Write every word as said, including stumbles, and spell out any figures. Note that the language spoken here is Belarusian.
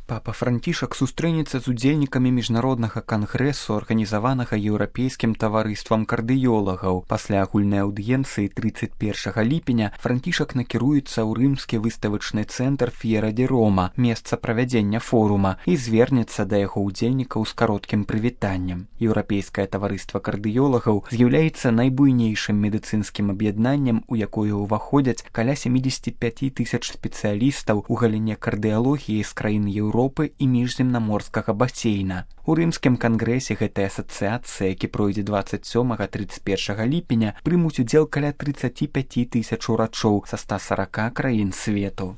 Папа Францішак сустрэнецца з удзельнікамі міжнароднага кангрэсу, арганізаванага еўрапейскім таварыствам кардыёлагаў. Пасля агульнай аўдыенцыі трыццаць першага ліпеня Францішак накіруецца ў рымскі выставачны цэнтр Ф'ера ді Рома, месца правядзення форума, і звернецца да яго ўдзельнікаў з кароткім прывітаннем. Еўрапейскае таварыства кардыёлагаў з'яўляецца найбуйнейшым медыцынскім аб'яднаннем, у якое ўваходзяць каля сямдзесят пяць тысяч спецыялістаў у галіне кардыялогіі з краін Еўропы Еўропы і міжземнаморскага басейна. У рымскім кангрэсе гэтай асацыяцыі, які пройдзе дваццаць сёмага - трыццаць першага ліпеня, прымуць удзел каля трыццаць пяць тысяч урачоў са ста сарака краін свету.